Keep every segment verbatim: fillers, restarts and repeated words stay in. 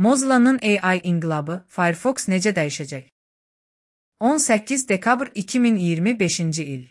Mozilla'nın A I inqilabı, Firefox necə dəyişəcək? on səkkiz dekabr iki min iyirmi beşinci il.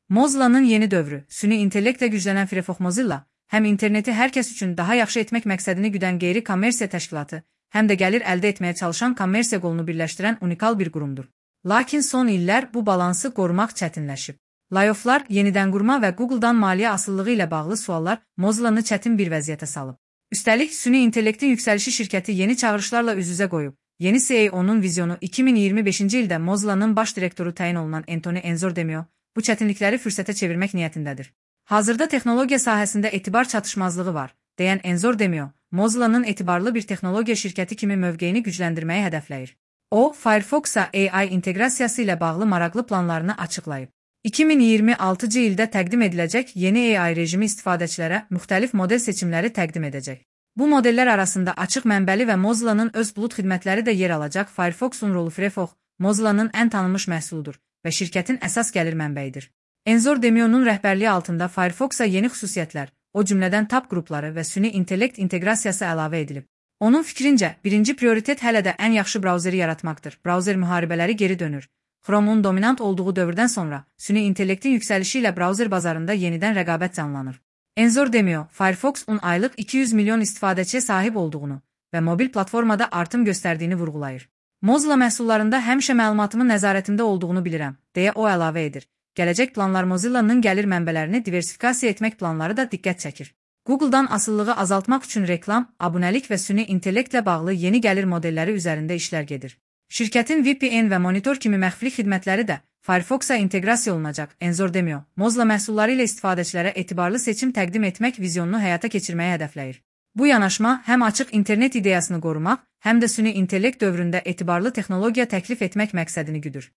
Mozilla'nın yeni dövrü, süni intellektlə güclənən Firefox Mozilla, həm interneti hər kəs üçün daha yaxşı etmək məqsədini güdən qeyri-kommersiya təşkilatı, həm də gəlir əldə etməyə çalışan kommersiya qolunu birləşdirən unikal bir qurumdur. Lakin son illər bu balansı qorumaq çətinləşib. Layofflar, yenidən qurma və Google'dan maliyyə asılılığı ilə bağlı suallar Mozilla'nı çətin bir vəziyyətə salıb. Üstəlik, süni intellektin yüksəlişi şirkəti yeni çağırışlarla üz-üzə qoyub. Yeni C E O'nun vizyonu iki min iyirmi beşinci ildə Mozilla'nın baş direktoru təyin olunan Anthony Enzordemio bu çətinlikləri fürsətə çevirmək niyyətindədir. Hazırda texnologiya sahəsində etibar çatışmazlığı var, deyən Enzordemio, Mozilla'nın etibarlı bir texnologiya şirkəti kimi mövqeyini gücləndirməyi hədəfləyir. O, Firefox'a A I inteqrasiyası ilə bağlı maraqlı planlarını açıqlayıb. iki min iyirmi altıncı ildə təqdim ediləcək yeni A I rejimi istifadəçilərə müxtəlif model seçimləri təqdim edəcək. Bu modellər arasında açıq mənbəli və Mozilla'nın öz bulut xidmətləri də yer alacaq. Firefox'un rolu Firefox, Mozilla'nın ən tanınmış məhsuludur və şirkətin əsas gəlir mənbəyidir. Enzordemio'nun rəhbərliyi altında Firefox'a yeni xüsusiyyətlər, o cümlədən tab qrupları və süni intellekt inteqrasiyası əlavə edilib. Onun fikrincə, birinci prioritet hələ də ən yaxşı brauzeri yaratmaqdır. Brauzer müharibələri geri dönür. Chrome'un dominant olduğu dövrdən sonra süni intellektin yüksəlişi ilə brauzer bazarında yenidən rəqabət canlanır. Enzordemio, Firefox'un aylıq iki yüz milyon istifadəçiyə sahib olduğunu və mobil platformada artım göstərdiyini vurğulayır. Mozilla məhsullarında həmişə məlumatımın nəzarətimdə olduğunu bilirəm, deyə o əlavə edir. Gələcək planlar Mozilla'nın gəlir mənbələrini diversifikasiya etmək planları da diqqət çəkir. Google'dan asılılığı azaltmaq üçün reklam, abunəlik və süni intellektlə bağlı yeni gəlir modelləri üzərində işlər gedir. Şirkətin V P N və monitor kimi məxfilik xidmətləri də Firefox'a inteqrasiya olunacaq. Enzordemio, Mozilla məhsulları ilə istifadəçilərə etibarlı seçim təqdim etmək vizyonunu həyata keçirməyə hədəfləyir. Bu yanaşma həm açıq internet ideyasını qorumaq, həm də süni intellekt dövründə etibarlı texnologiya təklif etmək məqsədini güdür.